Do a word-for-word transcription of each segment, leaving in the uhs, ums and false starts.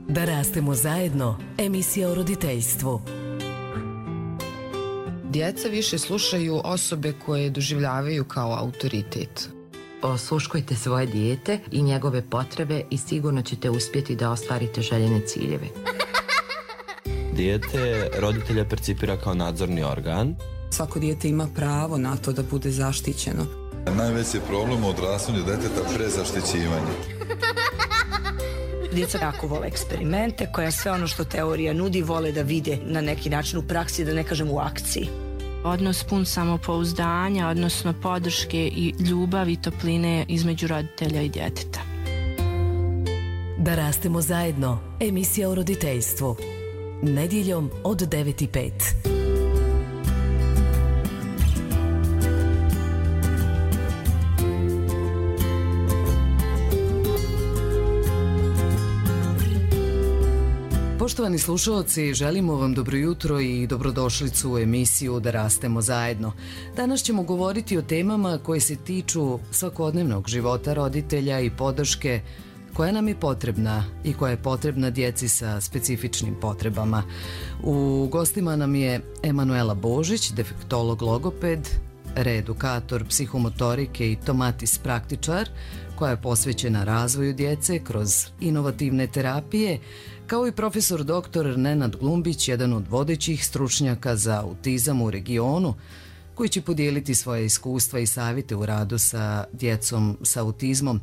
Da rastemo zajedno, emisija o roditeljstvu. Djeca više slušaju osobe koje doživljavaju kao autoritet. Osluškujte svoje dijete i njegove potrebe i sigurno ćete uspjeti da ostvarite željene ciljeve. Dijete roditelja percipira kao nadzorni organ. Svako dijete ima pravo na to da bude zaštićeno. Najveći je problem u odrastanju deteta prezaštićivanje. Djeca jako vole eksperimente, koja sve ono što teorija nudi vole da vide na neki način u praksi, da ne kažem u akciji. Odnos pun samopouzdanja, odnosno podrške i ljubavi i topline između roditelja i djeteta. Da rastemo zajedno, emisija o roditeljstvu. Nedjeljom od devet i pet. Poštovani slušalci, želimo vam dobro jutro i dobrodošlicu u emisiju Da rastemo zajedno. Danas ćemo govoriti o temama koje se tiču svakodnevnog života roditelja i podrške koja nam je potrebna i koja je potrebna djeci sa specifičnim potrebama. U gostima nam je Emanuela Božić, defektolog logoped, reedukator psihomotorike i tomatis praktičar, koja je posvećena razvoju djece kroz inovativne terapije, kao i profesor doktor Nenad Glumbić, jedan od vodećih stručnjaka za autizam u regionu, koji će podijeliti svoje iskustva i savjete u radu sa djecom sa autizmom.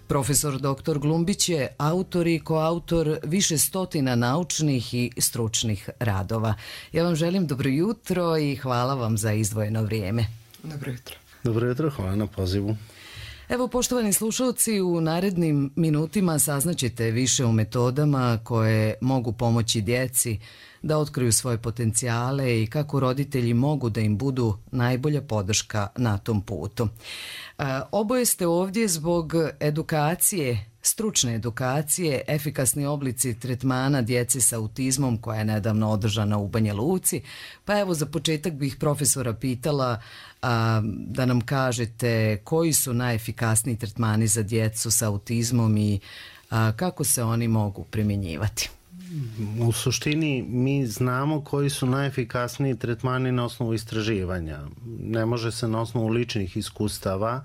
Profesor doktor Glumbić je autor i koautor više stotina naučnih i stručnih radova. Ja vam želim dobro jutro i hvala vam za izdvojeno vrijeme. Dobro jutro. Dobro jutro, hvala na pozivu. Evo, poštovani slušalci, u narednim minutima saznaćete više o metodama koje mogu pomoći djeci da otkriju svoje potencijale i kako roditelji mogu da im budu najbolja podrška na tom putu. E, oboje ste ovdje zbog edukacije, stručne edukacije, efikasni oblici tretmana djece sa autizmom koja je nedavno održana u Banja Luci. Pa evo, za početak bih profesora pitala a, da nam kažete koji su najefikasniji tretmani za djecu sa autizmom i a, kako se oni mogu primjenjivati. U suštini mi znamo koji su najefikasniji tretmani na osnovu istraživanja. Ne može se na osnovu ličnih iskustava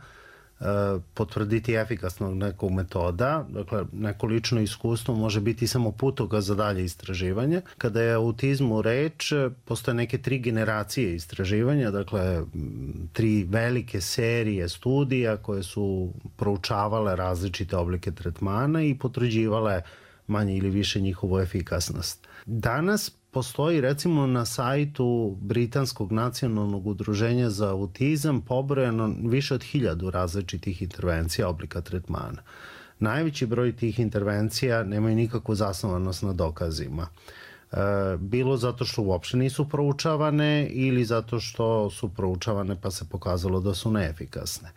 uh, potvrditi efikasnog nekog metoda. Dakle, neko lično iskustvo može biti samo putokaz za dalje istraživanje. Kada je autizmu reč, postoje neke tri generacije istraživanja, dakle tri velike serije studija koje su proučavale različite oblike tretmana i potvrđivale manje ili više njihovu efikasnost. Danas postoji recimo na sajtu Britanskog nacionalnog udruženja za autizam pobrojano više od hiljadu različitih intervencija oblika tretmana. Najveći broj tih intervencija nemaju nikakvu zasnovanost na dokazima. E, bilo zato što uopšte nisu proučavane ili zato što su proučavane pa se pokazalo da su neefikasne.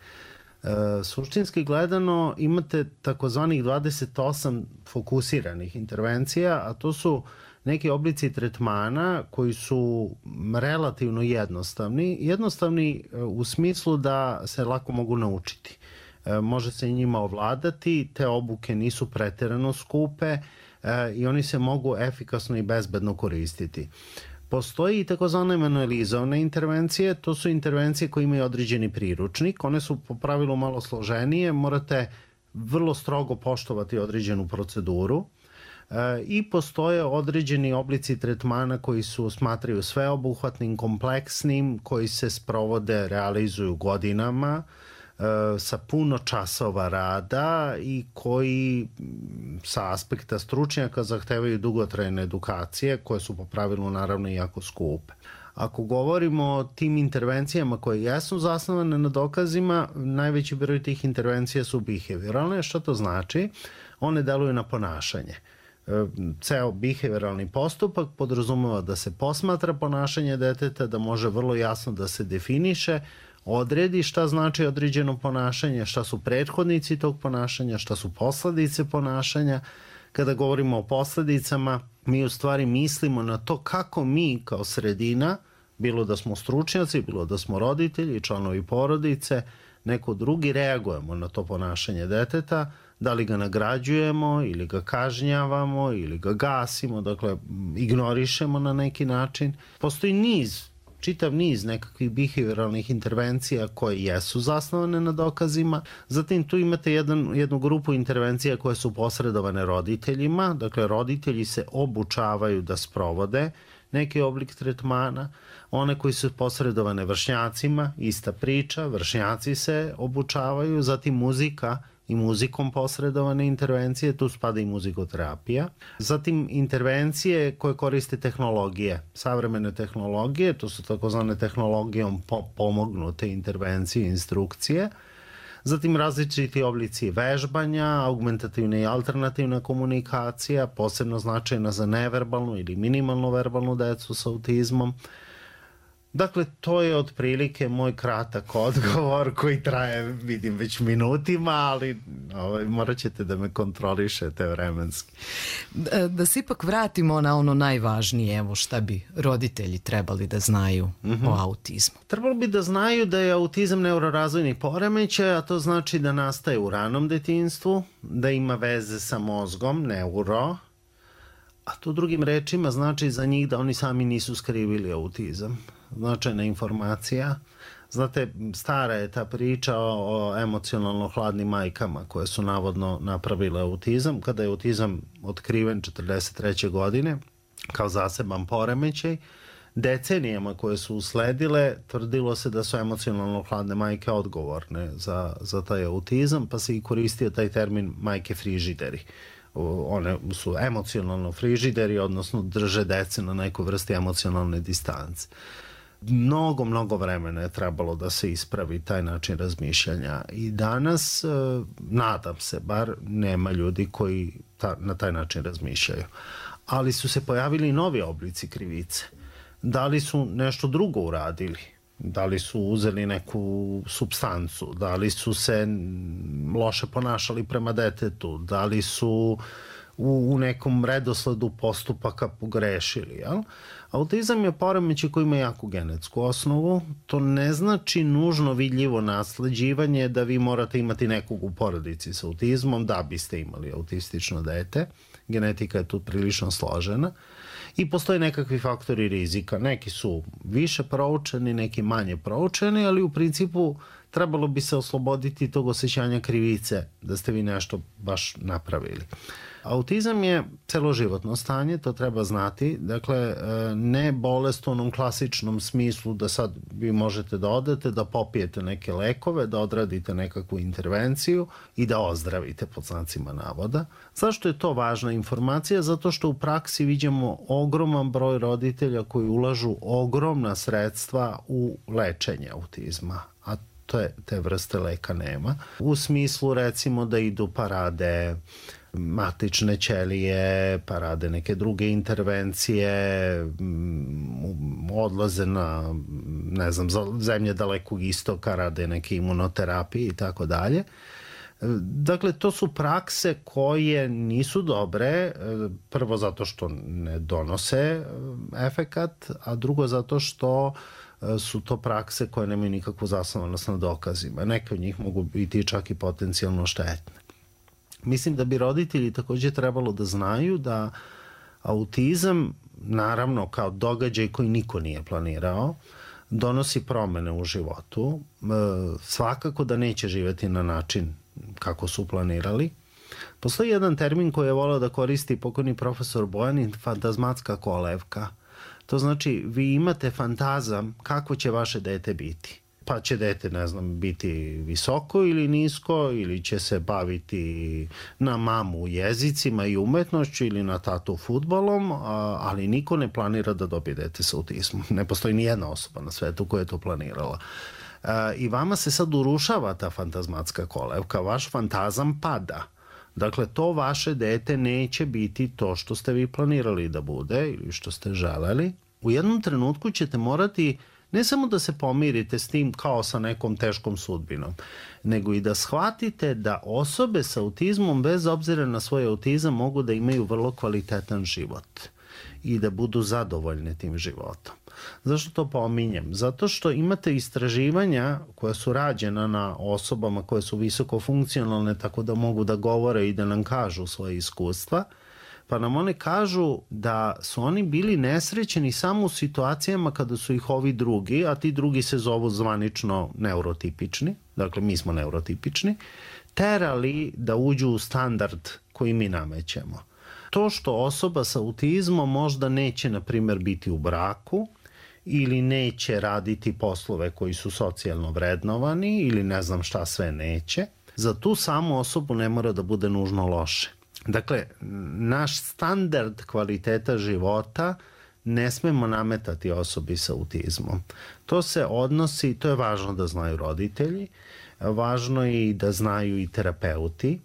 E, suštinski gledano imate takozvanih dvadeset osam fokusiranih intervencija, a to su neki oblici tretmana koji su relativno jednostavni. Jednostavni u smislu da se lako mogu naučiti. E, može se njima ovladati, te obuke nisu preterano skupe e, i oni se mogu efikasno i bezbedno koristiti. Postoji i takozvane manualizovane intervencije, to su intervencije koje imaju određeni priručnik, one su po pravilu malo složenije, morate vrlo strogo poštovati određenu proceduru e, i postoje određeni oblici tretmana koji su smatraju sveobuhvatnim, kompleksnim, koji se sprovode, realizuju godinama, sa puno časova rada i koji sa aspekta stručnjaka zahtevaju dugotrajne edukacije koje su po pravilu naravno jako skupe. Ako govorimo o tim intervencijama koje jesu zasnovane na dokazima, najveći broj tih intervencija su behavioralne. Što to znači? One deluju na ponašanje. Ceo behavioralni postupak podrazumeva da se posmatra ponašanje deteta, da može vrlo jasno da se definiše, odredi šta znači određeno ponašanje, šta su prethodnici tog ponašanja, šta su posledice ponašanja. Kada govorimo o posledicama, mi u stvari mislimo na to kako mi kao sredina, bilo da smo stručnjaci, bilo da smo roditelji, članovi porodice, neko drugi, reagujemo na to ponašanje deteta, da li ga nagrađujemo ili ga kažnjavamo ili ga gasimo, dakle ignorišemo na neki način. Postoji niz, čitav niz nekakvih behavioralnih intervencija koje jesu zasnovane na dokazima. Zatim tu imate jedan, jednu grupu intervencija koje su posredovane roditeljima, dakle roditelji se obučavaju da sprovode neki oblik tretmana. One koji su posredovane vršnjacima, ista priča, vršnjaci se obučavaju, zatim muzika i muzikom posredovane intervencije, tu spada i muzikoterapija. Zatim intervencije koje koriste tehnologije, savremene tehnologije, to su takozvane tehnologijom pomognute intervencije, instrukcije. Zatim različiti oblici vežbanja, augmentativna i alternativna komunikacija, posebno značajna za neverbalnu ili minimalno verbalnu decu sa autizmom. Dakle, to je otprilike moj kratak odgovor koji traje, vidim, već minutima, ali ovaj, morat ćete da me kontrolišete vremenski. Da, da se ipak vratimo na ono najvažnije, evo šta bi roditelji trebali da znaju mm-hmm. o autizmu. Trebalo bi da znaju da je autizam neurorazvojni poremećaj, a to znači da nastaje u ranom detinjstvu, da ima veze sa mozgom, neuro, a to drugim rečima znači za njih da oni sami nisu skrivili autizam. Značajna informacija. Znate, stara je ta priča o, o emocionalno hladnim majkama koje su navodno napravile autizam. Kada je autizam otkriven četrdeset treće godine kao zaseban poremećaj, decenijama koje su usledile tvrdilo se da su emocionalno hladne majke odgovorne za, za taj autizam, pa se i koristio taj termin majke frižideri. One su emocionalno frižideri, odnosno drže dece na nekoj vrsti emocionalne distance. Mnogo, mnogo vremena je trebalo da se ispravi taj način razmišljanja i danas, nadam se, bar nema ljudi koji ta, na taj način razmišljaju. Ali su se pojavili novi oblici krivice. Da li su nešto drugo uradili? Da li su uzeli neku supstancu? Da li su se loše ponašali prema detetu? Da li su u, u nekom redosledu postupaka pogrešili? Jel? Autizam je poremećaj koji ima jaku genetsku osnovu. To ne znači nužno vidljivo nasleđivanje da vi morate imati nekog u porodici sa autizmom da biste imali autistično dete. Genetika je tu prilično složena. I postoje nekakvi faktori rizika. Neki su više proučeni, neki manje proučeni, ali u principu trebalo bi se osloboditi tog osjećanja krivice da ste vi nešto baš napravili. Autizam je celoživotno stanje, to treba znati. Dakle, ne bolest u onom klasičnom smislu da sad vi možete da odete, da popijete neke lekove, da odradite nekakvu intervenciju i da ozdravite pod znacima navoda. Zašto je to važna informacija? Zato što u praksi vidimo ogroman broj roditelja koji ulažu ogromna sredstva u lečenje autizma, a to je, te vrste leka nema. U smislu recimo da idu pa rade matične ćelije, pa rade neke druge intervencije, odlaze na, ne znam, zemlje dalekog istoka, rade neke imunoterapije i tako dalje. Dakle, to su prakse koje nisu dobre, prvo zato što ne donose efekat, a drugo zato što su to prakse koje nemaju nikakvu zasnovanost na dokazima. Neke od njih mogu biti čak i potencijalno štetne. Mislim da bi roditelji takođe trebalo da znaju da autizam, naravno kao događaj koji niko nije planirao, donosi promene u životu. Svakako da neće živeti na način kako su planirali. Postoji jedan termin koji je volao da koristi pokojni profesor Bojanin, fantazmatska kolevka. To znači, vi imate fantazam kako će vaše dete biti. Pa će dete, ne znam, biti visoko ili nisko, ili će se baviti na mamu jezicima i umetnošću ili na tatu fudbalom, ali niko ne planira da dobije dete sa autizmom. Ne postoji ni jedna osoba na svetu koja je to planirala. I vama se sad urušava ta fantazmatska kolevka, vaš fantazam pada. Dakle, to vaše dete neće biti to što ste vi planirali da bude ili što ste želeli. U jednom trenutku ćete morati ne samo da se pomirite s tim kao sa nekom teškom sudbinom, nego i da shvatite da osobe sa autizmom, bez obzira na svoj autizam, mogu da imaju vrlo kvalitetan život i da budu zadovoljne tim životom. Zašto to pominjem? Zato što imate istraživanja koja su rađena na osobama koje su visoko funkcionalne, tako da mogu da govore i da nam kažu svoje iskustva, pa nam one kažu da su oni bili nesrećeni samo u situacijama kada su ih ovi drugi, a ti drugi se zovu zvanično neurotipični, dakle mi smo neurotipični, terali da uđu u standard koji mi namećemo. To što osoba sa autizmom možda neće, na primjer, biti u braku ili neće raditi poslove koji su socijalno vrednovani ili ne znam šta sve neće, za tu samu osobu ne mora da bude nužno loše. Dakle, naš standard kvaliteta života ne smemo nametati osobi sa autizmom. To se odnosi, to je važno da znaju roditelji, važno je i da znaju i terapeuti.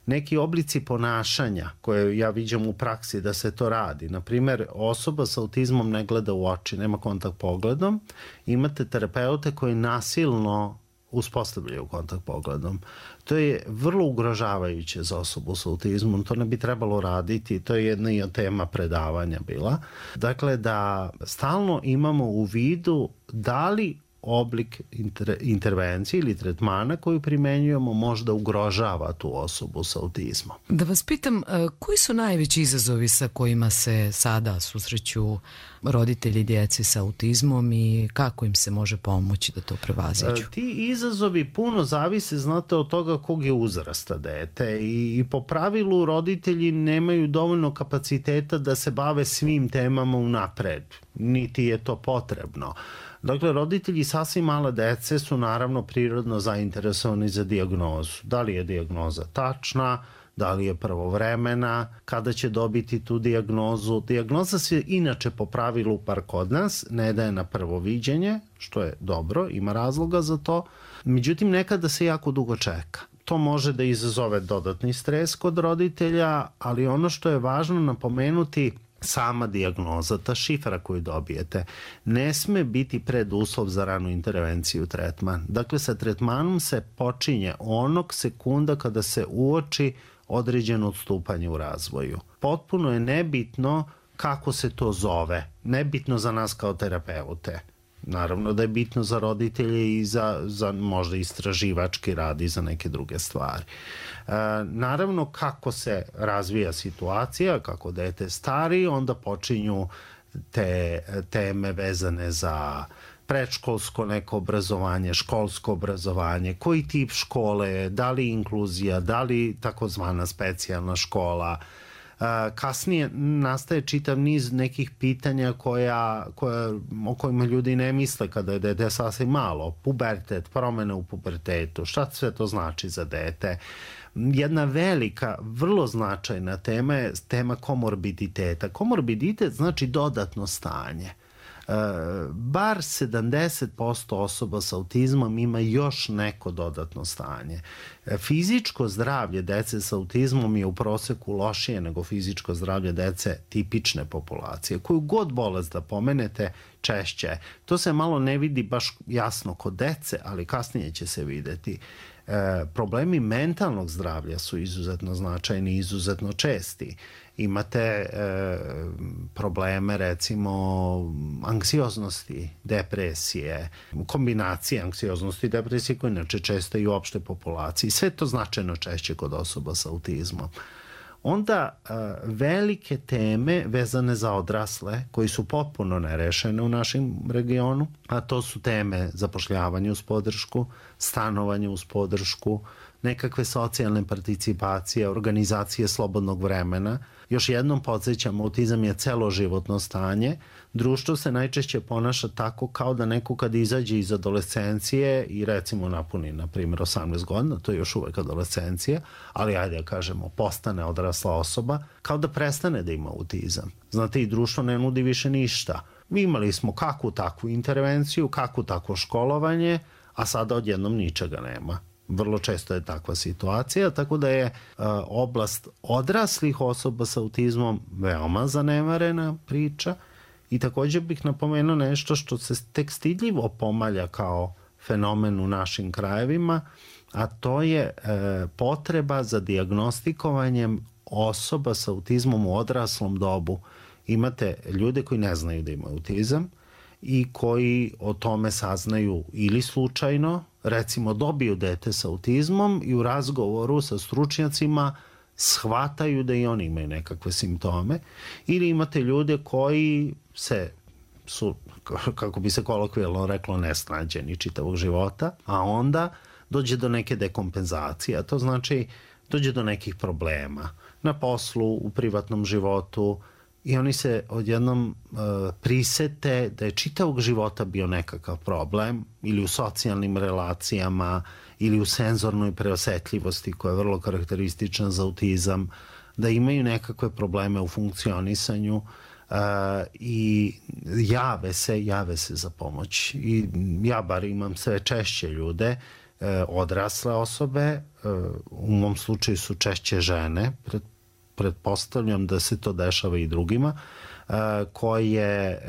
Neki oblici ponašanja koje ja viđam u praksi da se to radi. Na primjer, osoba sa autizmom ne gleda u oči, nema kontakt pogledom. Imate terapeute koji nasilno uspostavljaju kontakt pogledom. To je vrlo ugrožavajuće za osobu sa autizmom, to ne bi trebalo raditi, to je jedna i od tema predavanja bila. Dakle, da stalno imamo u vidu da li oblik inter, intervencije ili tretmana koju primenjujemo možda ugrožava tu osobu sa autizmom. Da vas pitam, koji su najveći izazovi sa kojima se sada susreću roditelji djece sa autizmom i kako im se može pomoći da to prevaziđu? Ti izazovi puno zavise, znate, od toga kog je uzrasta dete i, i po pravilu roditelji nemaju dovoljno kapaciteta da se bave svim temama unapred, niti je to potrebno. Dakle, roditelji sasvim male dece su naravno prirodno zainteresovani za dijagnozu. Da li je dijagnoza tačna, da li je pravovremena, kada će dobiti tu dijagnozu. Dijagnoza se inače po pravilu par kod nas ne daje na prvo viđenje, što je dobro, ima razloga za to. Međutim, nekada se jako dugo čeka. To može da izazove dodatni stres kod roditelja, ali ono što je važno napomenuti, sama dijagnoza, ta šifra koju dobijete, ne sme biti preduslov za ranu intervenciju, tretman. Dakle, sa tretmanom se počinje onog sekunda kada se uoči određeno odstupanje u razvoju. Potpuno je nebitno kako se to zove, nebitno za nas kao terapeute. Naravno da je bitno za roditelje i za, za možda istraživački rad i za neke druge stvari. E, naravno, kako se razvija situacija, kako dete stari, onda počinju te teme vezane za predškolsko neko obrazovanje, školsko obrazovanje, koji tip škole, da li inkluzija, da li takozvana specijalna škola. Kasnije nastaje čitav niz nekih pitanja koja, koja, o kojima ljudi ne misle kada je dete sasvim malo. Pubertet, promene u pubertetu, šta sve to znači za dete. Jedna velika, vrlo značajna tema je tema komorbiditeta. Komorbiditet znači dodatno stanje. Bar sedamdeset posto osoba sa autizmom ima još neko dodatno stanje. Fizičko zdravlje dece sa autizmom je u proseku lošije nego fizičko zdravlje dece tipične populacije. Koju god bolest da pomenete, češće. To se malo ne vidi baš jasno kod dece, ali kasnije će se videti. E, problemi mentalnog zdravlja su izuzetno značajni i izuzetno česti. Imate e, probleme, recimo, anksioznosti, depresije, kombinacije anksioznosti i depresije koje inače često i u opšte populaciji. Sve to značajno češće kod osoba sa autizmom. Onda e, velike teme vezane za odrasle koji su potpuno nerešene u našem regionu, a to su teme zapošljavanja uz podršku, stanovanja uz podršku, nekakve socijalne participacije, organizacije slobodnog vremena. Još jednom podsjećam, autizam je celoživotno stanje. Društvo se najčešće ponaša tako kao da neko kad izađe iz adolescencije i recimo napuni, na primjer, osamnaest godina, to je još uvek adolescencija, ali ajde da kažemo, postane odrasla osoba, kao da prestane da ima autizam. Znate, i društvo ne nudi više ništa. Mi imali smo kakvu takvu intervenciju, kakvu takvo školovanje, a sada odjednom ničega nema. Vrlo često je takva situacija, tako da je uh, oblast odraslih osoba sa autizmom veoma zanemarena priča i također bih napomenuo nešto što se tek stidljivo pomalja kao fenomen u našim krajevima, a to je uh, potreba za dijagnostikovanjem osoba sa autizmom u odraslom dobu. Imate ljude koji ne znaju da imaju autizam, i koji o tome saznaju ili slučajno, recimo dobiju dete sa autizmom i u razgovoru sa stručnjacima shvataju da i oni imaju nekakve simptome, ili imate ljude koji se su, kako bi se kolokvijalno reklo, nesnađeni čitavog života, a onda dođe do neke dekompenzacije, a to znači dođe do nekih problema na poslu, u privatnom životu, i oni se odjednom uh, prisete da je čitavog života bio nekakav problem, ili u socijalnim relacijama, ili u senzornoj preosetljivosti koja je vrlo karakteristična za autizam, da imaju nekakve probleme u funkcionisanju uh, i jave se, jave se za pomoć. I ja bar imam sve češće ljude, uh, odrasle osobe, uh, u mom slučaju su češće žene, pred pretpostavljam da se to dešava i drugima, koje,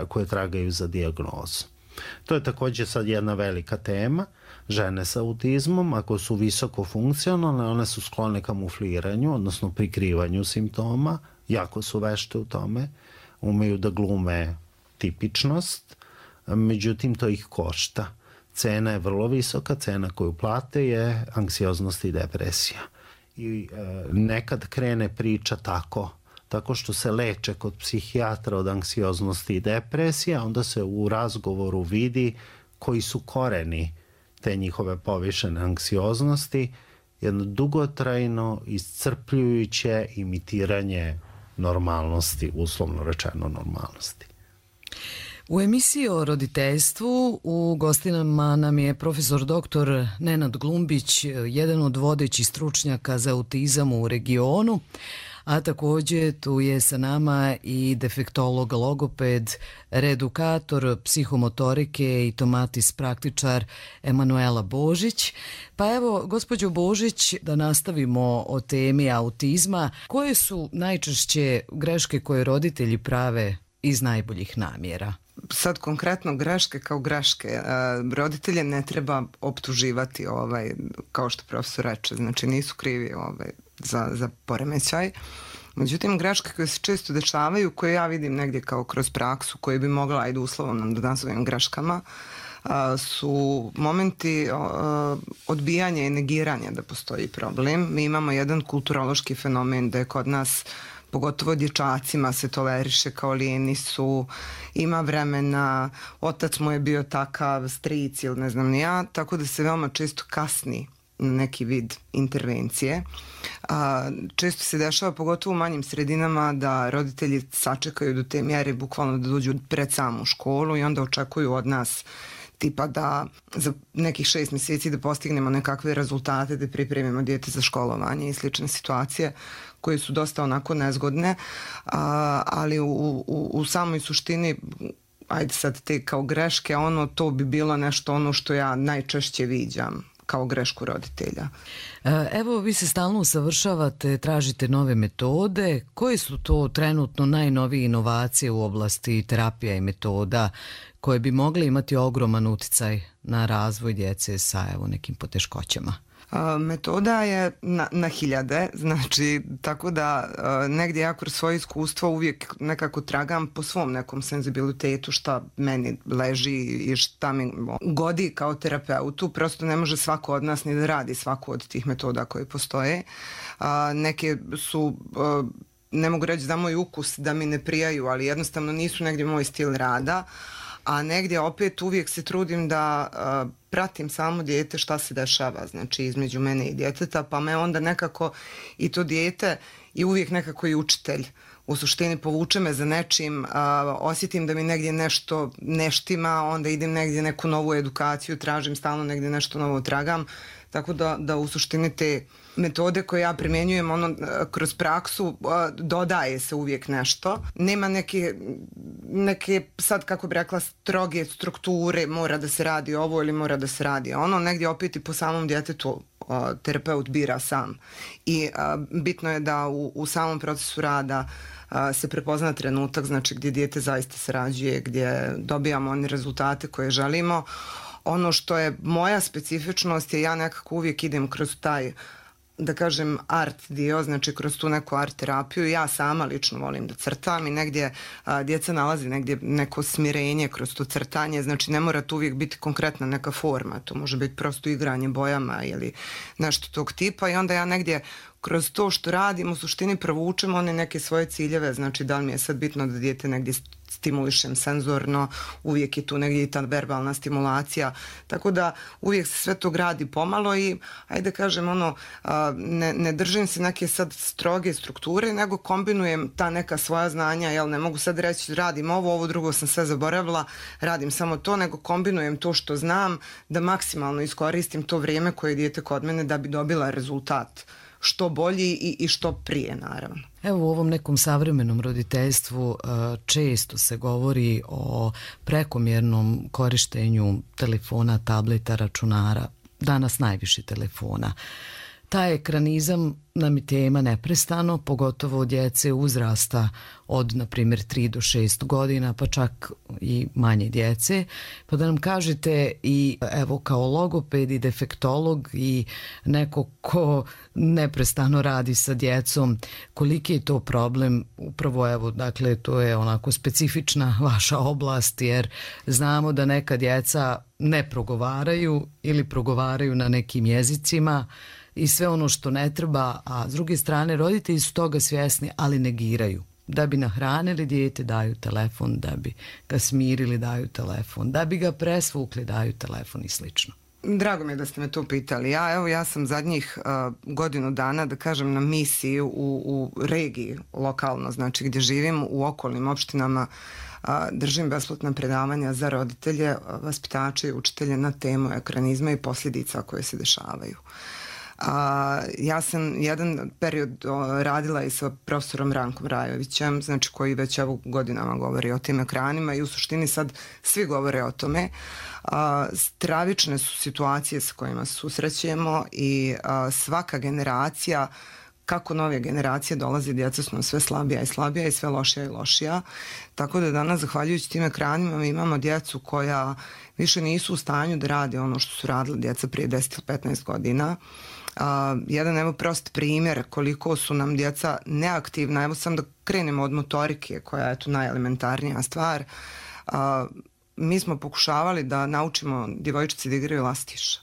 koje tragaju za dijagnozu. To je takođe sad jedna velika tema. Žene sa autizmom, ako su visoko funkcionalne, one su sklone kamufliranju, odnosno prikrivanju simptoma, jako su vešte u tome, umeju da glume tipičnost, međutim to ih košta. Cena je vrlo visoka, cena koju plate je anksioznost i depresija. I e, nekad krene priča tako, tako što se leče kod psihijatra od anksioznosti i depresije, onda se u razgovoru vidi koji su koreni te njihove povišene anksioznosti, jedno dugotrajno, iscrpljujuće imitiranje normalnosti, uslovno rečeno normalnosti. U emisiji o roditeljstvu u gostinama nam je profesor doktor Nenad Glumbić, jedan od vodećih stručnjaka za autizam u regionu, a takođe tu je sa nama i defektolog, logoped, reedukator psihomotorike i tomatis praktičar Emanuela Božić. Pa evo, gospođo Božić, da nastavimo o temi autizma. Koje su najčešće greške koje roditelji prave iz najboljih namjera? Sad konkretno greške kao greške. Roditelje ne treba optuživati, ovaj, kao što profesor reče, znači nisu krivi ovaj, za, za poremećaj. Međutim, greške koje se često dešavaju, koje ja vidim negdje kao kroz praksu, koje bi mogla, ajde uslovno da nazovem greškama, su momenti odbijanja i negiranja da postoji problem. Mi imamo jedan kulturološki fenomen da je kod nas, pogotovo dječacima, se toleriše kao lijeni su, ima vremena, otac mu je bio takav, stric ili ne znam ni ja, tako da se veoma često kasni neki vid intervencije. A, često se dešava, pogotovo u manjim sredinama, da roditelji sačekaju do te mjere bukvalno da dođu pred samu školu i onda očekuju od nas tipa da za nekih šest mjeseci da postignemo nekakve rezultate, da pripremimo dijete za školovanje i slične situacije koje su dosta onako nezgodne, a, ali u, u, u samoj suštini, ajde sad te kao greške, ono to bi bilo nešto ono što ja najčešće viđam kao grešku roditelja. Evo, vi se stalno usavršavate, tražite nove metode. Koje su to trenutno najnovije inovacije u oblasti terapija i metoda koje bi mogle imati ogroman uticaj na razvoj djece sa evo nekim poteškoćama? A, metoda je na, na hiljade, znači tako da a, negdje ja kroz svoje iskustvo uvijek nekako tragam po svom nekom senzibilitetu šta meni leži i šta mi godi kao terapeutu. Prosto ne može svako od nas ni da radi svaku od tih metoda koje postoje. A, neke su... A, ne mogu reći da moj ukus da mi ne prijaju, ali jednostavno nisu negdje moj stil rada, a negdje opet uvijek se trudim da uh, pratim samo dijete šta se dešava, znači između mene i djeteta, pa me onda nekako i to dijete i uvijek nekako i učitelj u suštini povuče me za nečim, uh, osjetim da mi negdje nešto neštima, onda idem negdje neku novu edukaciju, tražim stalno negdje nešto novo, tragam, tako da, da u suštini te metode koje ja primjenjujem ono, kroz praksu, dodaje se uvijek nešto. Nema neke, neke, sad kako bi rekla, stroge strukture, mora da se radi ovo ili mora da se radi ono. Negdje opet i po samom djetetu terapeut bira sam. I bitno je da u, u samom procesu rada se prepozna trenutak, znači gdje dijete zaista sarađuje, gdje dobijamo one rezultate koje želimo. Ono što je moja specifičnost je ja nekako uvijek idem kroz taj da kažem, art dio, znači kroz tu neku art terapiju. Ja sama lično volim da crtam i negdje a, djeca nalazi negdje neko smirenje kroz to crtanje, znači ne mora tu uvijek biti konkretna neka forma, to može biti prosto igranje bojama ili nešto tog tipa i onda ja negdje kroz to što radim u suštini provučem one neke svoje ciljeve, znači da li mi je sad bitno da dijete negdje stimulišem senzorno, uvijek je tu negdje i ta verbalna stimulacija, tako da uvijek se sve to gradi pomalo i ajde kažem ono, ne, ne držim se neke sad stroge strukture, nego kombinujem ta neka svoja znanja, jel ne mogu sad reći radim ovo, ovo drugo sam sve zaboravila, radim samo to, nego kombinujem to što znam da maksimalno iskoristim to vrijeme koje je dijete kod mene da bi dobila rezultat što bolji i, i što prije, naravno. Evo u ovom nekom savremenom roditeljstvu često se govori o prekomjernom korištenju telefona, tableta, računara, danas najviše telefona. Taj ekranizam nam je tema neprestano, pogotovo od djece uzrasta od, na primjer, tri do šest godina, pa čak i manje djece. Pa da nam kažete i, evo, kao logoped i defektolog i neko ko neprestano radi sa djecom, koliki je to problem, upravo, evo, dakle, to je onako specifična vaša oblast, jer znamo da neka djeca ne progovaraju ili progovaraju na nekim jezicima, i sve ono što ne treba, a s druge strane roditelji su toga svjesni, ali negiraju. Da bi nahranili dijete daju telefon, da bi ga smirili daju telefon, da bi ga presvukli daju telefon i slično. Drago mi je da ste me to pitali. Ja, evo, ja sam zadnjih uh, godinu dana, da kažem, na misiji u, u regiji lokalno, znači gdje živim u okolnim opštinama, uh, držim besplatna predavanja za roditelje, vaspitače i učitelje na temu ekranizma i posljedica koje se dešavaju. A, ja sam jedan period o, radila i sa profesorom Rankom Rajovićem, znači koji već evo godinama govori o tim ekranima i u suštini sad svi govore o tome. A, stravične su situacije sa kojima se susrećemo i a, svaka generacija, kako nove generacije dolaze, djeca su nam sve slabija i slabija i sve lošija i lošija. Tako da danas, zahvaljujući tim ekranima, mi imamo djecu koja više nisu u stanju da rade ono što su radili djeca prije deset ili petnaest godina. Uh, jedan evo prost primjer koliko su nam djeca neaktivna, evo sam da krenemo od motorike koja je tu najelementarnija stvar. Uh, mi smo pokušavali da naučimo djevojčice da igraju lastiša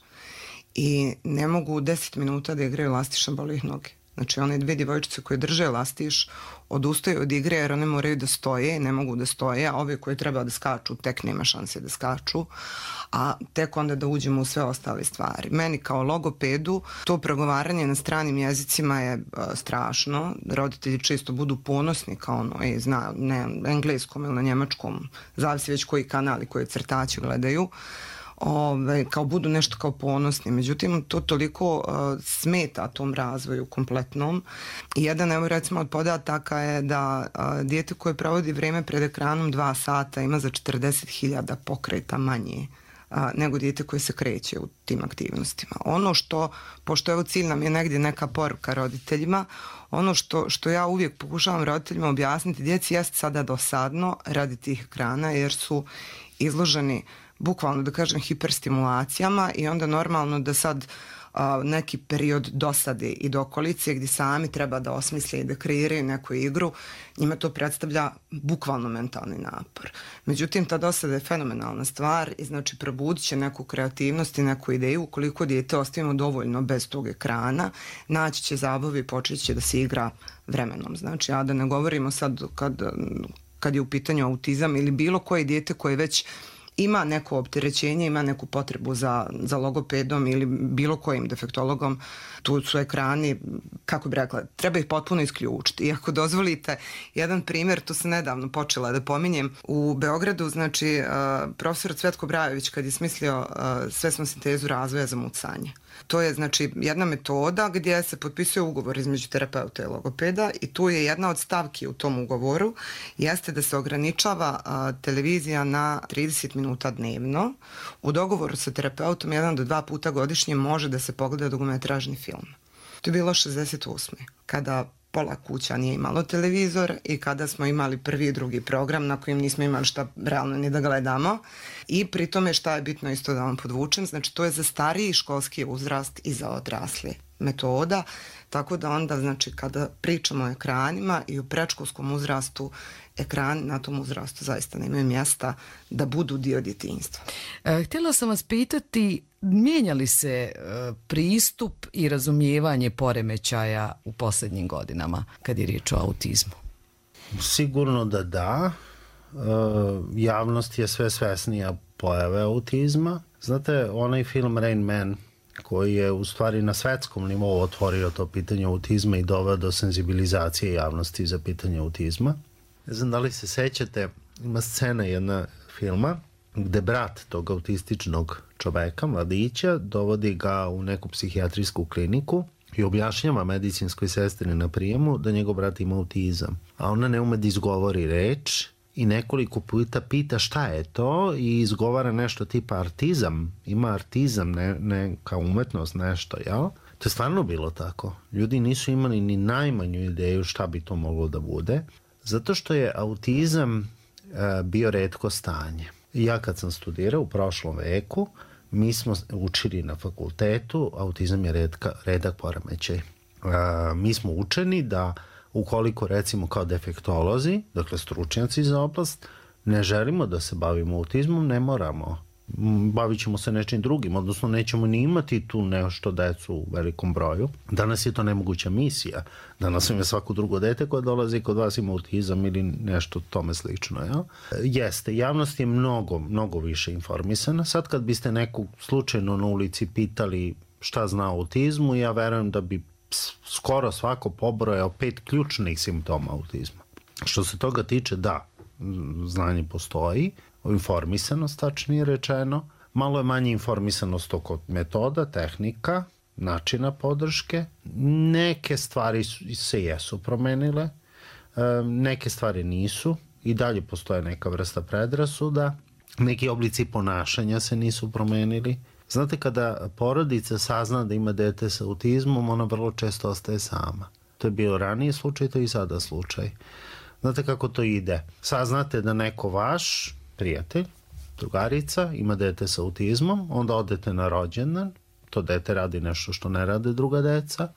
i ne mogu deset minuta da igraju lastiša, boli ih noge. Znači one dvije djevojčice koje drže lastiš odustaju od igre jer one moraju da stoje, ne mogu da stoje, a ove koje treba da skaču tek nema šanse da skaču, a tek onda da uđemo u sve ostale stvari. Meni kao logopedu to pregovaranje na stranim jezicima je uh, strašno. Roditelji često budu ponosni kao ono, e, zna, ne, engleskom ili na njemačkom, zavisi već koji kanali, koje crtači gledaju. Ove, kao budu nešto kao ponosni. Međutim, to toliko uh, smeta tom razvoju kompletnom. I jedan, evo recimo, od podataka je da uh, dijete koje provodi vrijeme pred ekranom dva sata ima za četrdeset hiljada pokreta manje uh, nego dijete koje se kreće u tim aktivnostima. Ono što, pošto evo cilj nam je negdje neka poruka roditeljima, ono što, što ja uvijek pokušavam roditeljima objasniti, djeci jest sada dosadno radi tih ekrana jer su izloženi bukvalno da kažem hiperstimulacijama i onda normalno da sad a, neki period dosade i dokolice gdje sami treba da osmisle i da kreiraju neku igru, njima to predstavlja bukvalno mentalni napor. Međutim, ta dosada je fenomenalna stvar i znači probudit će neku kreativnost i neku ideju. Ukoliko dijete ostavimo dovoljno bez tog ekrana, naći će zabavu i počet će da se igra vremenom. Znači, a da ne govorimo sad kad, kad je u pitanju autizam ili bilo koje dijete koje već ima neko opterećenje, ima neku potrebu za, za logopedom ili bilo kojim defektologom, tu su ekrani, kako bi rekla, treba ih potpuno isključiti. I ako dozvolite jedan primjer, to se nedavno počela da pominjem, u Beogradu, znači, uh, profesor Cvetko Brajović kad je smislio uh, svesnu sintezu razvoja za mucanje. To je znači jedna metoda gdje se potpisuje ugovor između terapeuta i logopeda i tu je jedna od stavki u tom ugovoru jeste da se ograničava a, televizija na trideset minuta dnevno. U dogovoru sa terapeutom jedan do dva puta godišnje može da se pogleda dugometražni film. To je bilo šezdeset osme kada pola kuća nije imalo televizor i kada smo imali prvi i drugi program na kojem nismo imali šta realno ni da gledamo. I pritome šta je bitno isto da vam podvučem, znači to je za stariji školski uzrast i za odrasli. metoda, tako da onda, znači, kada pričamo o ekranima i o predškolskom uzrastu, ekrani na tom uzrastu zaista nemaju mjesta da budu dio djetinjstva. E, htjela sam vas pitati, mijenja li se e, pristup i razumijevanje poremećaja u posljednjim godinama kad je riječ o autizmu? Sigurno da da. E, javnost je sve svesnija pojave autizma. Znate, onaj film Rain Man, koji je u stvari na svetskom nivou otvorio to pitanje autizma i doveo do senzibilizacije javnosti za pitanje autizma. Ne znam da li se sećate, ima scena jedna filma gde brat tog autističnog čoveka, mladića, dovodi ga u neku psihijatrijsku kliniku i objašnjava medicinskoj sestri na prijemu da njegov brat ima autizam. A ona ne ume da izgovori reč i nekoliko puta pita šta je to i izgovara nešto tipa artizam. Ima artizam, ne, ne kao umetnost, nešto, jel? To je stvarno bilo tako. Ljudi nisu imali ni najmanju ideju šta bi to moglo da bude, zato što je autizam e, bio retko stanje. Ja kad sam studirao u prošlom veku, mi smo učili na fakultetu, autizam je redka, redak poremećaj. E, mi smo učeni da ukoliko recimo kao defektolozi, dakle stručnjaci za oblast, ne želimo da se bavimo autizmom, ne moramo. Bavit ćemo se nečim drugim, odnosno nećemo ni imati tu nešto decu u velikom broju. Danas je to nemoguća misija. Danas ima svako drugo dete koje dolazi kod vas ima autizam ili nešto tome slično. Ja? Jeste, javnost je mnogo, mnogo više informisana. Sad kad biste nekog slučajno na ulici pitali šta zna o autizmu, ja verujem da bi skoro svako pobrojao pet ključnih simptoma autizma. Što se toga tiče, da, znanje postoji, informisanost, tačnije rečeno, malo je manje informisanost oko metoda, tehnika, načina podrške. Neke stvari se jesu promenile, neke stvari nisu, i dalje postoje neka vrsta predrasuda, neki oblici ponašanja se nisu promenili. Znate, kada porodica sazna da ima dete sa autizmom, ona vrlo često ostaje sama. To je bio ranije slučaj, to je i sada slučaj. Znate kako to ide? Saznate da neko vaš prijatelj, drugarica, ima dete sa autizmom, onda odete na rođendan, to dete radi nešto što ne rade druga deca,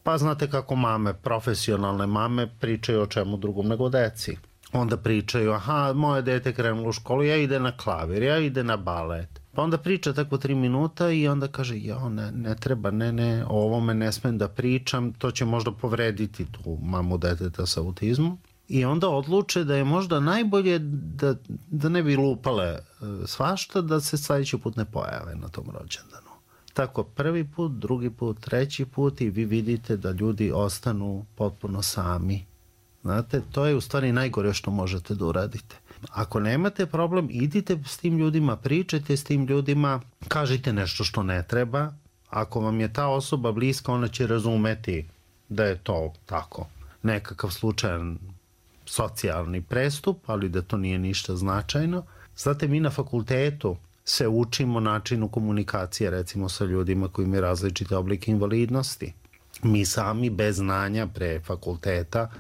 pa znate kako mame, profesionalne mame, pričaju o čemu drugom nego deci. Onda pričaju, aha, moje dete krenulo u školu, ja ide na klavir, ja ide na balet. Pa onda priča tako tri minuta i onda kaže, ja, ne, ne treba, ne, ne, o ovome ne smem da pričam, to će možda povrediti tu mamu deteta sa autizmom. I onda odluče da je možda najbolje da, da ne bi lupale svašta, da se sledeći put ne pojave na tom rođendanu. Tako prvi put, drugi put, treći put i vi vidite da ljudi ostanu potpuno sami. Znate, to je u stvari najgore što možete da uradite. Ako nemate problem, idite s tim ljudima, pričajte s tim ljudima, kažite nešto što ne treba. Ako vam je ta osoba bliska, ona će razumeti da je to tako. Nekakav slučajan socijalni prestup, ali da to nije ništa značajno. Znate, mi na fakultetu se učimo načinu komunikacije, recimo sa ljudima koji imaju različite oblike invalidnosti. Mi sami bez znanja pre fakulteta,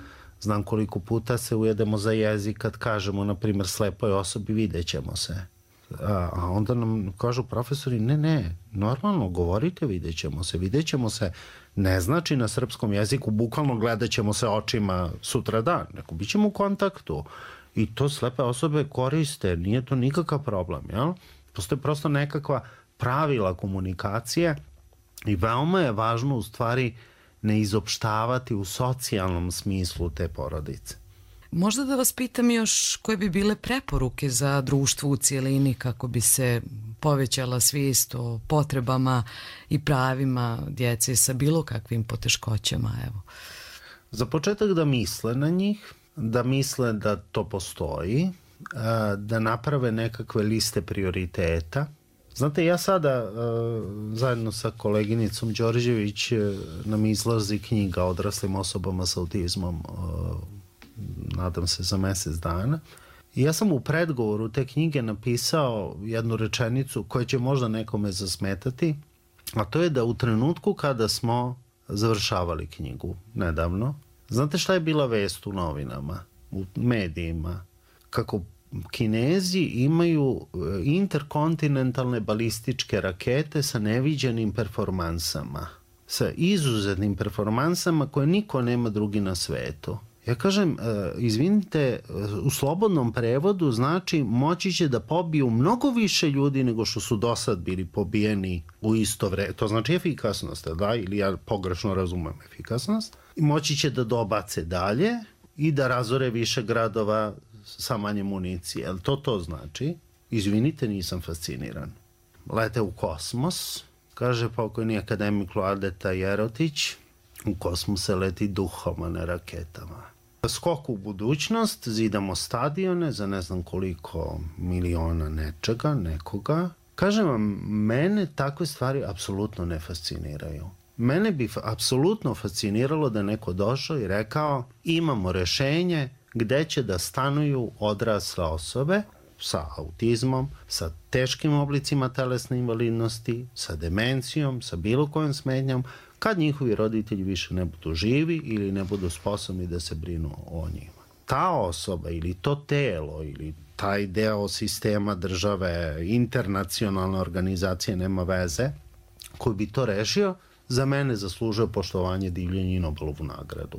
znam koliko puta se ujedemo za jezik kad kažemo, na primjer, slepoj osobi vidjet ćemo se. A, a onda nam kažu profesori, ne, ne, normalno, govorite vidjet ćemo se. Vidjet ćemo se ne znači na srpskom jeziku, bukvalno gledat ćemo se očima sutra dan, neko bit ćemo u kontaktu. I to slepe osobe koriste, nije to nikakav problem, jel? Postoje prosto nekakva pravila komunikacije i veoma je važno u stvari ne izopštavati u socijalnom smislu te porodice. Možda da vas pitam još koje bi bile preporuke za društvo u cijelini kako bi se povećala svijest o potrebama i pravima djece sa bilo kakvim poteškoćama, evo. Za početak da misle na njih, da misle da to postoji, da naprave nekakve liste prioriteta. Znate, ja sada zajedno sa koleginicom Đorđević nam izlazi knjiga o odraslim osobama sa autizmom, nadam se za mjesec dana. I ja sam u predgovoru te knjige napisao jednu rečenicu koja će možda nekome zasmetati, a to je da u trenutku kada smo završavali knjigu nedavno, znate šta je bila vest u novinama, u medijima? Kako Kinezi imaju interkontinentalne balističke rakete sa neviđenim performansama. sa izuzetnim performansama koje niko nema drugi na svetu. Ja kažem, izvinite, u slobodnom prevodu znači moći će da pobiju mnogo više ljudi nego što su do sad bili pobijeni u isto vreme. To znači efikasnost, da? Ili ja pogrešno razumem efikasnost. I moći će da dobace dalje i da razore više gradova sa manje municije. Jel to to znači? Izvinite, nisam fasciniran. Lete u kosmos, kaže pokojni akademik Vladeta Jerotić, u kosmos se leti duhom, a ne raketama. Skok u budućnost, zidamo stadione za ne znam koliko miliona nečega, nekoga. Kažem vam, mene takve stvari apsolutno ne fasciniraju. Mene bi apsolutno fasciniralo da neko došao i rekao imamo rešenje gde će da stanuju odrasle osobe sa autizmom, sa teškim oblicima telesne invalidnosti, sa demencijom, sa bilo kojom smetnjom, kad njihovi roditelji više ne budu živi ili ne budu sposobni da se brinu o njima. Ta osoba ili to telo ili taj deo sistema države, internacionalne organizacije, nema veze, koji bi to rešio, za mene zaslužuje poštovanje, divljenje i Nobelovu nagradu.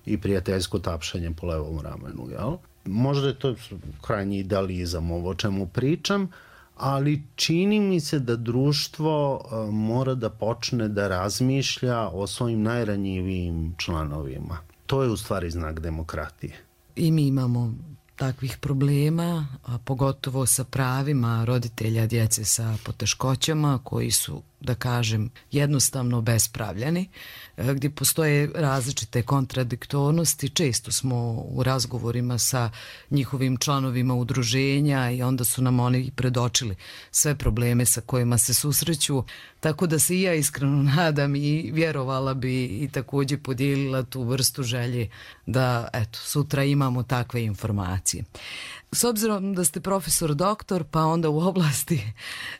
I prijateljsko tapšanje po levom ramenu, jel? Možda je to krajnji idealizam ovo o čemu pričam, ali čini mi se da društvo uh, mora da počne da razmišlja o svojim najranjivijim članovima. To je u stvari znak demokratije. I mi imamo takvih problema, a pogotovo sa pravima roditelja djece sa poteškoćama koji su, da kažem, jednostavno bespravljeni, gdje postoje različite kontradiktornosti. Često smo u razgovorima sa njihovim članovima udruženja i onda su nam oni predočili sve probleme sa kojima se susreću, tako da se i ja iskreno nadam i vjerovala bi i također podijelila tu vrstu želje da eto, sutra imamo takve informacije. S obzirom da ste profesor doktor, pa onda u oblasti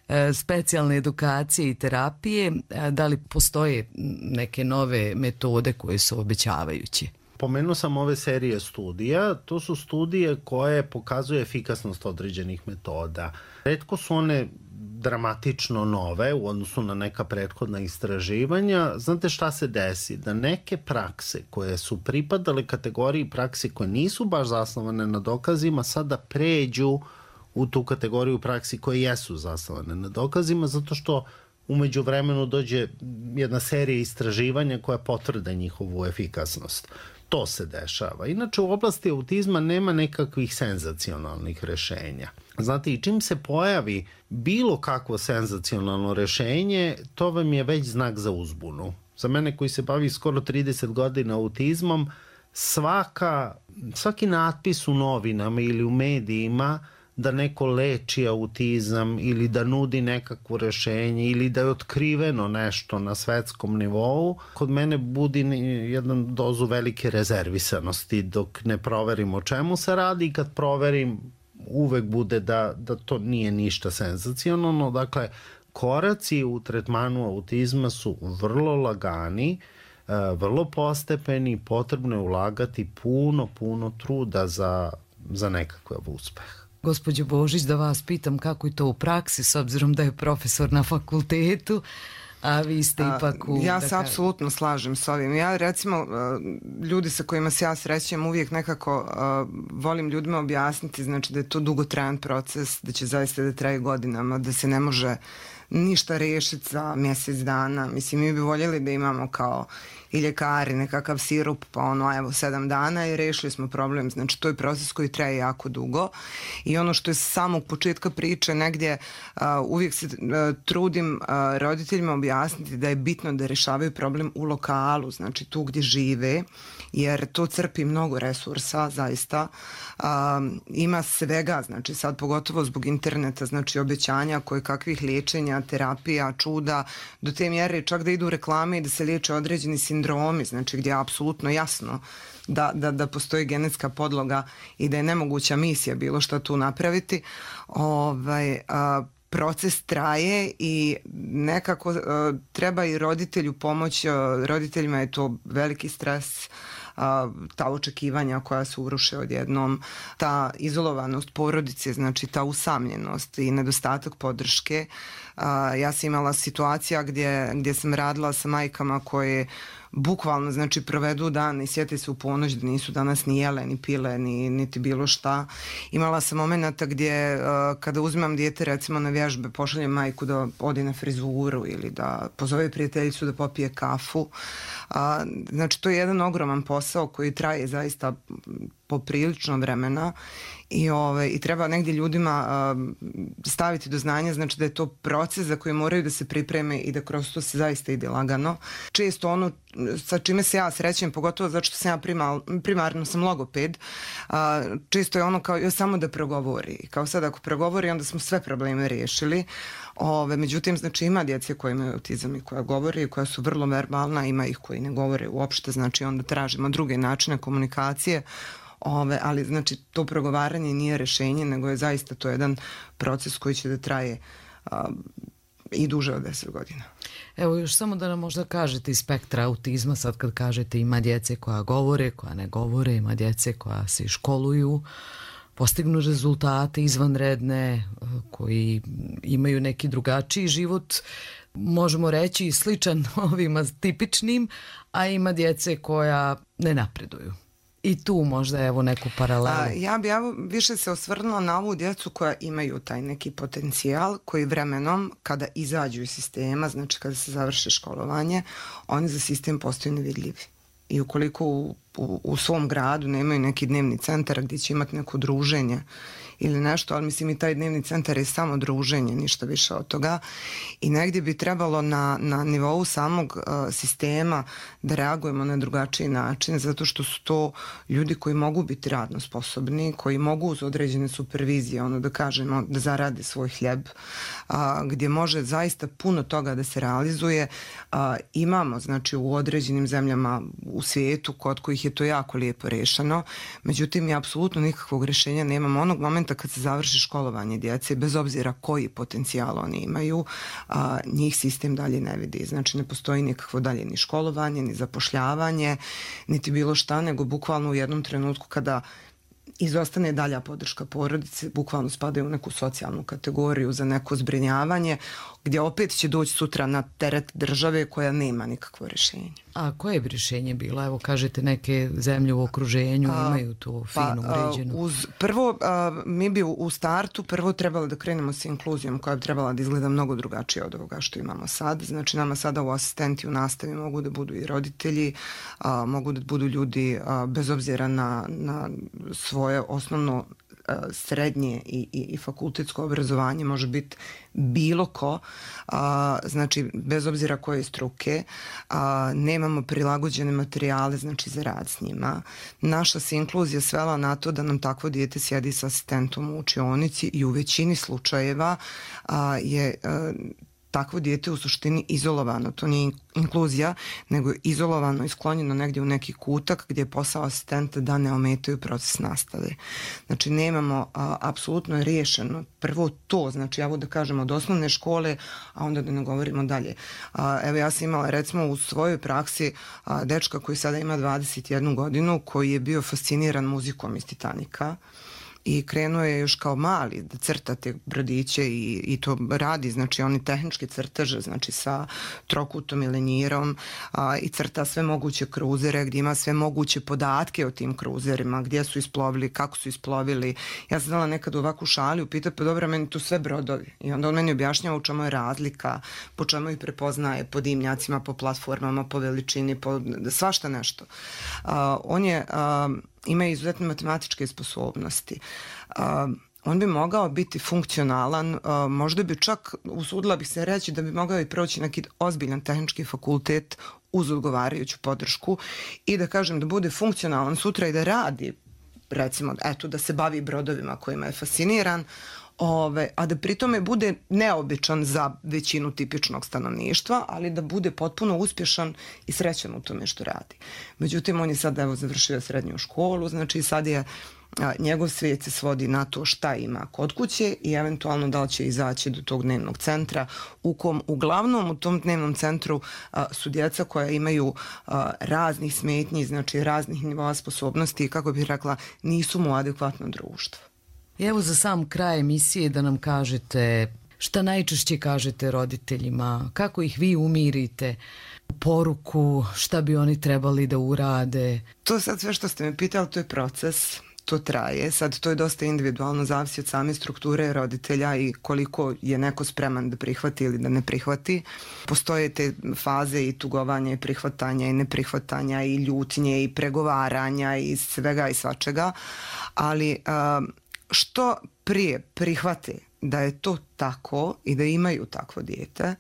e, specijalne edukacije i terapije, e, da li postoje neke nove metode koje su obećavajuće? Pomenuo sam ove serije studija. To su studije koje pokazuju efikasnost određenih metoda. Retko su one dramatično nove u odnosu na neka prethodna istraživanja. Znate šta se desi? Da neke prakse koje su pripadale kategoriji praksi koje nisu baš zasnovane na dokazima sada pređu u tu kategoriju praksi koje jesu zasnovane na dokazima, zato što umeđu vremenu dođe jedna serija istraživanja koja potvrde njihovu efikasnost. To se dešava. Inače, u oblasti autizma nema nekakvih senzacionalnih rešenja. Znate, i čim se pojavi bilo kakvo senzacionalno rešenje, to vam je već znak za uzbunu. Za mene koji se bavi skoro trideset godina autizmom, svaka, svaki natpis u novinama ili u medijima da neko leči autizam ili da nudi nekakvo rešenje ili da je otkriveno nešto na svetskom nivou, kod mene budi jednu dozu velike rezervisanosti dok ne proverim o čemu se radi i kad proverim uvek bude da, da to nije ništa senzacionalno. Dakle, koraci u tretmanu autizma su vrlo lagani, vrlo postepeni, potrebno je ulagati puno, puno truda za, za nekakav uspeh. Gospođo Božić, da vas pitam kako je to u praksi, s obzirom da je profesor na fakultetu, a vi ste ipak u... Ja se apsolutno slažem s ovim. Ja recimo, ljudi sa kojima se ja srećem uvijek nekako uh, volim ljudima objasniti, znači da je to dugotrajan proces, da će zaista da traje godinama, da se ne može ništa rešiti za mjesec dana. Mislim, mi bi voljeli da imamo kao i ljekari nekakav sirup, pa ono, evo, sedam dana i rešili smo problem. Znači, to je proces koji traje jako dugo. I ono što je s samog početka priče, negdje uh, uvijek se uh, trudim uh, roditeljima objasniti da je bitno da rešavaju problem u lokalu, znači tu gdje žive, jer to crpi mnogo resursa, zaista. Uh, ima svega, znači sad pogotovo zbog interneta, znači obećanja koje kakvih liječenja, terapija, čuda, do te mjere čak da idu reklame i da se liječe određeni sindromi, znači gdje je apsolutno jasno da, da, da postoji genetska podloga i da je nemoguća misija bilo što tu napraviti. Ovaj, a, proces traje i nekako a, treba i roditelju pomoć, a, roditeljima je to veliki stres, a, ta očekivanja koja se uruše odjednom, ta izolovanost porodice, znači ta usamljenost i nedostatak podrške, A, ja sam imala situacija gdje, gdje sam radila sa majkama koje bukvalno, znači, provedu dan i sjete se u ponoć da nisu danas ni jele, ni pile, ni, niti bilo šta. Imala sam momenata gdje uh, kada uzmem dijete recimo na vježbe, pošaljem majku da ode na frizuru ili da pozove prijateljicu da popije kafu. Uh, znači, to je jedan ogroman posao koji traje zaista poprilično vremena i, ove, i treba negdje ljudima uh, staviti do znanja, znači da je to proces za koji moraju da se pripreme i da kroz to se zaista ide lagano. Često ono sa čime se ja srećem, pogotovo zato što sam ja primal, primarno sam logoped, uh, često je ono kao još samo da progovori. Kao sad ako progovori, onda smo sve probleme riješili. Ove, međutim, znači ima djece koje imaju autizam i koja govori, koja su vrlo verbalna, ima ih koji ne govore uopšte, znači onda tražimo druge načine komunikacije. Ove, ali znači to progovaranje nije rješenje, nego je zaista to jedan proces koji će da traje a, i duže od deset godina. Evo još samo da nam možda kažete iz spektra autizma, sad kad kažete ima djece koja govore, koja ne govore, ima djece koja se školuju, postignu rezultate izvanredne, koji imaju neki drugačiji život, možemo reći sličan ovima tipičnim, a ima djece koja ne napreduju. I tu možda evo neku paralelu. A, ja bi ja više se osvrnula na ovu djecu koja imaju taj neki potencijal koji vremenom kada izađu iz sistema, znači kada se završi školovanje, oni za sistem postaju nevidljivi. I ukoliko u, u, u svom gradu nemaju neki dnevni centar gdje će imati neko druženje ili nešto, ali mislim i taj dnevni centar je samo druženje, ništa više od toga. I negdje bi trebalo na, na nivou samog uh, sistema da reagujemo na drugačiji način, zato što su to ljudi koji mogu biti radno sposobni, koji mogu uz određene supervizije, ono da kažemo, da zarade svoj hljeb, uh, gdje može zaista puno toga da se realizuje. Uh, imamo, znači, u određenim zemljama u svijetu kod kojih je to jako lijepo rešeno, međutim, ja apsolutno nikakvog rješenja nemam onog momenta kad se završi školovanje djece, bez obzira koji potencijal oni imaju, a, njih sistem dalje ne vidi. Znači ne postoji nikakvo dalje ni školovanje, ni zapošljavanje, niti bilo šta, nego bukvalno u jednom trenutku kada izostane dalja podrška porodice, bukvalno spadaju u neku socijalnu kategoriju za neko zbrinjavanje, gdje opet će doći sutra na teret države koja nema nikakvo rješenje. A koje bi rješenje bilo? Evo kažete neke zemlje u okruženju a, imaju to fino pa, uređeno. Uz, prvo, a, mi bi u startu prvo trebalo da krenemo s inkluzijom koja bi trebala da izgleda mnogo drugačije od ovoga što imamo sad. Znači nama sada u asistenti u nastavi mogu da budu i roditelji, a, mogu da budu ljudi a, bez obzira na, na svoje osnovno srednje i, i, i fakultetsko obrazovanje, može biti bilo ko, a, znači bez obzira koje struke, a, nemamo prilagođene materijale, znači za rad s njima. Naša se inkluzija svela na to da nam takvo dijete sjedi sa asistentom u učionici i u većini slučajeva a, je a, takvo dijete u suštini izolovano. To nije inkluzija, nego je izolovano i sklonjeno negdje u neki kutak gdje je posao asistenta da ne ometaju proces nastave. Znači nemamo a, apsolutno riješeno prvo to, znači ja da kažem od osnovne škole, a onda da ne govorimo dalje. A, evo ja sam imala recimo u svojoj praksi a, dečka koji sada ima dvadeset jednu godinu, koji je bio fasciniran muzikom iz Titanika i krenuo je još kao mali da crta te brodiće i, i to radi, znači oni tehnički crteže, znači sa trokutom i lenjirom a, i crta sve moguće kruzere gdje ima sve moguće podatke o tim kruzerima, gdje su isplovili, kako su isplovili. Ja sam znala nekad u ovakvu šaliju pitati, pa dobro, meni tu sve brodovi. I onda on meni objašnjava u čemu je razlika, po čemu ih prepoznaje, po dimnjacima, po platformama, po veličini, po svašta nešto. A, on je... A, ima izuzetne matematičke sposobnosti. Uh, on bi mogao biti funkcionalan, uh, možda bi čak, usudila bih se reći da bi mogao i proći neki ozbiljan tehnički fakultet uz odgovarajuću podršku i da kažem da bude funkcionalan sutra i da radi, recimo, eto, da se bavi brodovima kojima je fasciniran, Ove, a da pritome bude neobičan za većinu tipičnog stanovništva, ali da bude potpuno uspješan i srećan u tome što radi. Međutim, on je sad evo završio srednju školu, znači sad je a, njegov svijet se svodi na to šta ima kod kuće i eventualno da li će izaći do tog dnevnog centra u kom uglavnom u tom dnevnom centru a, su djeca koja imaju a, raznih smetnji, znači raznih nivoa sposobnosti i kako bih rekla nisu mu adekvatno društvo. I evo za sam kraj emisije da nam kažete Šta najčešće kažete roditeljima? Kako ih vi umirite? Poruku, šta bi oni trebali da urade? To sad sve što ste me pitali, to je proces. To traje. Sad to je dosta individualno, zavisi od same strukture roditelja i koliko je neko spreman da prihvati ili da ne prihvati. Postoje te faze i tugovanja i prihvatanja i neprihvatanja i ljutnje i pregovaranja i svega i svačega, ali što prije prihvate da je to tako i da imaju takvo dijete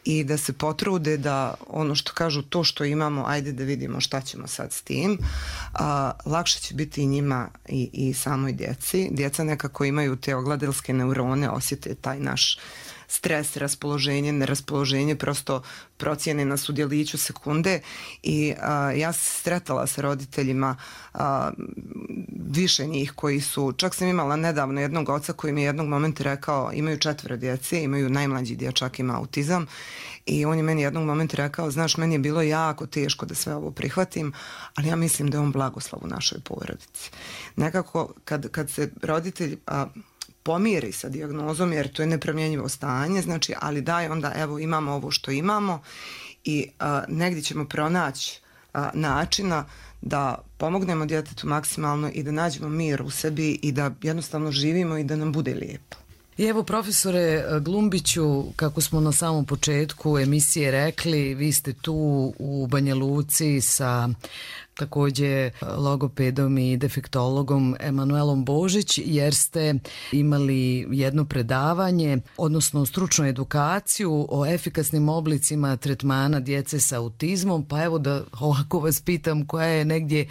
i da se potrude da ono što kažu, to što imamo, ajde da vidimo šta ćemo sad s tim, a, lakše će biti i njima i, i samoj djeci. Djeca nekako imaju te ogladelske neurone, osjete taj naš stres, raspoloženje, neraspoloženje, prosto procijene nas u djeliću sekunde i a, ja sam sretala sa roditeljima, a, više njih koji su, čak sam imala nedavno jednog oca koji mi je jednog momenta rekao, imaju četvero djece, imaju najmlađi dječak ima autizam i on je meni jednog momenta rekao, znaš, meni je bilo jako teško da sve ovo prihvatim, ali ja mislim da je on blagoslov u našoj porodici. Nekako kad, kad se roditelj a, pomiri sa dijagnozom, jer to je nepromjenjivo stanje, znači, ali daj onda, evo, imamo ovo što imamo i a, negdje ćemo pronaći a, načina da pomognemo djetetu maksimalno i da nađemo mir u sebi i da jednostavno živimo i da nam bude lijepo. I evo, profesore Glumbiću, kako smo na samom početku emisije rekli, vi ste tu u Banja Luci sa također logopedom i defektologom Emanuelom Božić, jer ste imali jedno predavanje, odnosno stručnu edukaciju o efikasnim oblicima tretmana djece sa autizmom, pa evo da ovako vas pitam koja je negdje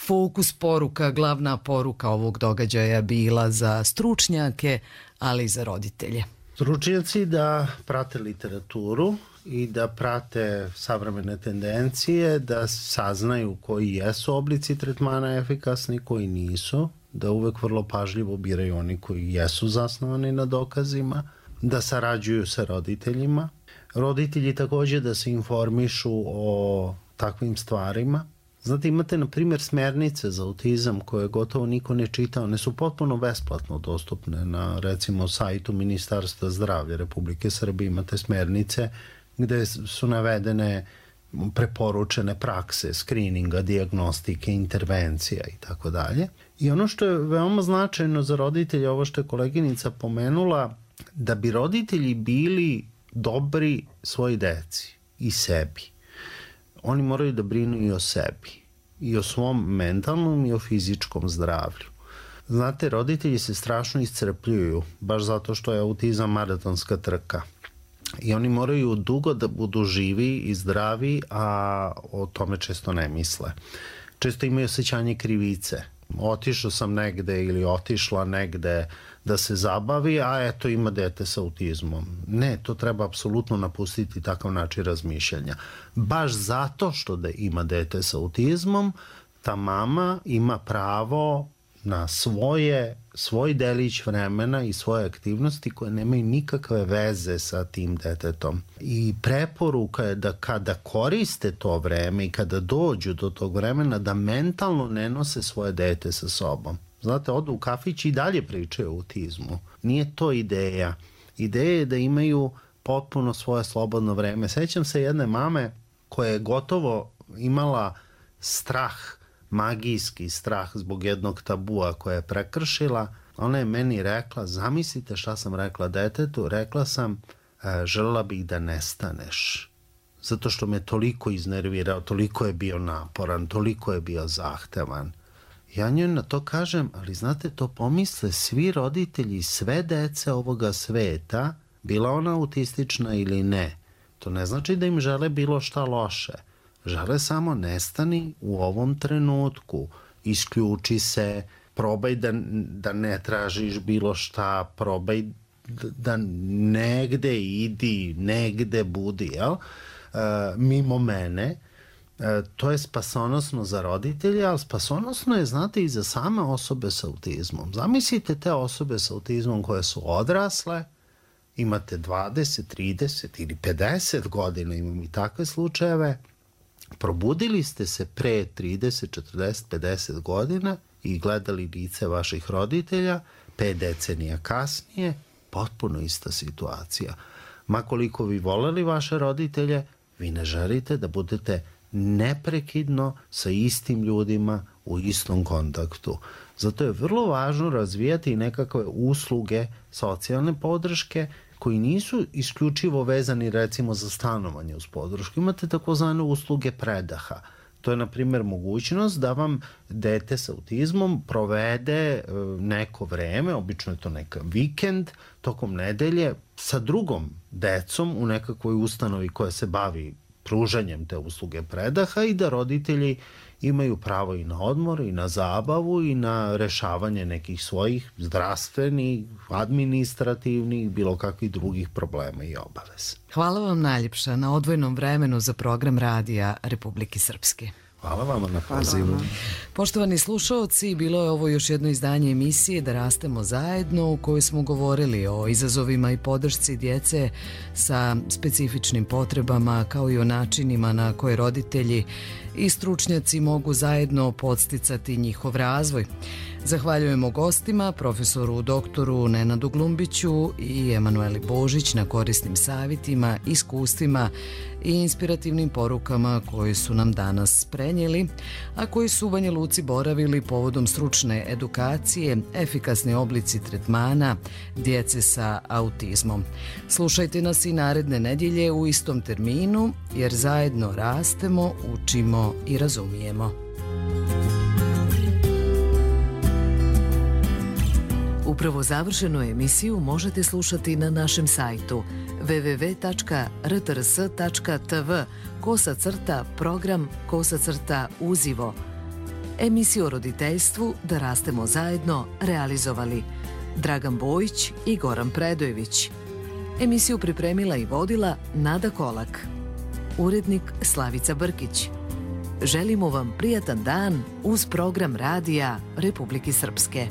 fokus poruka, glavna poruka ovog događaja bila za stručnjake, ali i za roditelje. Stručnjaci da prate literaturu i da prate savremene tendencije, da saznaju koji jesu oblici tretmana efikasni, koji nisu, da uvek vrlo pažljivo biraju oni koji jesu zasnovani na dokazima, da sarađuju sa roditeljima. Roditelji također da se informišu o takvim stvarima. Znate, imate, na primjer, smernice za autizam koje gotovo niko ne čita. One su potpuno besplatno dostupne na, recimo, sajtu Ministarstva zdravlja Republike Srbije. Imate smernice gde su navedene preporučene prakse, skrininga, dijagnostike, intervencija i tako dalje. I ono što je veoma značajno za roditelje, ovo što je koleginica pomenula, da bi roditelji bili dobri svoj deci i sebi. Oni moraju da brinu i o sebi, i o svom mentalnom i o fizičkom zdravlju. Znate, roditelji se strašno iscrpljuju, baš zato što je autizam maratonska trka. I oni moraju dugo da budu živi i zdravi, a o tome često ne misle. Često imaju osjećanje krivice. Otišao sam negde ili otišla negde da se zabavi, a eto ima dete sa autizmom. Ne, to treba apsolutno napustiti takav način razmišljanja. Baš zato što da ima dete sa autizmom, ta mama ima pravo na svoje, svoj delić vremena i svoje aktivnosti koje nemaju nikakve veze sa tim detetom. I preporuka je da kada koriste to vreme i kada dođu do tog vremena, da mentalno ne nose svoje dete sa sobom. Znate, odu u kafić i dalje pričaju o autizmu. Nije to ideja. Ideja je da imaju potpuno svoje slobodno vreme. Sećam se jedne mame koja je gotovo imala strah, magijski strah zbog jednog tabua koje je prekršila. Ona je meni rekla, zamislite šta sam rekla detetu, rekla sam, želela bih da nestaneš. Zato što me toliko iznervirao, toliko je bio naporan, toliko je bio zahtevan. Ja njoj na to kažem, ali znate, to pomisle svi roditelji, sve dece ovoga sveta, bila ona autistična ili ne. To ne znači da im žele bilo šta loše. Žele samo nestani u ovom trenutku, isključi se, probaj da, da ne tražiš bilo šta, probaj da, da negde idi, negde budi, jel? E, mimo mene. E, to je spasonosno za roditelje, ali spasonosno je, znate, i za same osobe sa autizmom. Zamislite te osobe sa autizmom koje su odrasle, imate dvadeset, trideset ili pedeset godina, imam i takve slučajeve, probudili ste se pre trideset, četrdeset, pedeset godina i gledali lice vaših roditelja, pet decenija kasnije, potpuno ista situacija. Makoliko vi voleli vaše roditelje, vi ne želite da budete neprekidno sa istim ljudima u istom kontaktu. Zato je vrlo važno razvijati nekakve usluge socijalne podrške koji nisu isključivo vezani recimo za stanovanje uz podršku. Imate takozvane usluge predaha. To je, na primjer, mogućnost da vam dete sa autizmom provede neko vreme, obično je to neka vikend, tokom nedelje, sa drugom decom u nekakvoj ustanovi koja se bavi pružanjem te usluge predaha i da roditelji imaju pravo i na odmor, i na zabavu, i na rešavanje nekih svojih zdravstvenih, administrativnih, bilo kakvih drugih problema i obaveza. Hvala vam najljepša na odvojenom vremenu za program Radija Republike Srpske. Hvala vama na pozivu. Poštovani slušaoci, bilo je ovo još jedno izdanje emisije Da rastemo zajedno u kojoj smo govorili o izazovima i podršci djece sa specifičnim potrebama kao i o načinima na koje roditelji i stručnjaci mogu zajedno podsticati njihov razvoj. Zahvaljujemo gostima, profesoru doktoru Nenadu Glumbiću i Emanueli Božić na korisnim savjetima, iskustvima i inspirativnim porukama koje su nam danas prenijeli, a koji su u Banja Luci boravili povodom stručne edukacije, efikasni oblici tretmana djece sa autizmom. Slušajte nas i naredne nedjelje u istom terminu, jer zajedno rastemo, učimo i razumijemo. Upravo završenu emisiju možete slušati na našem sajtu w w w tačka r t r s tačka t v kosa crta program kosa crta uzivo. Emisiju o roditeljstvu Da rastemo zajedno realizovali Dragan Bojić i Goran Predojević. Emisiju pripremila i vodila Nada Kolak. Urednik Slavica Brkić. Želimo vam prijatan dan uz program Radija Republike Srpske.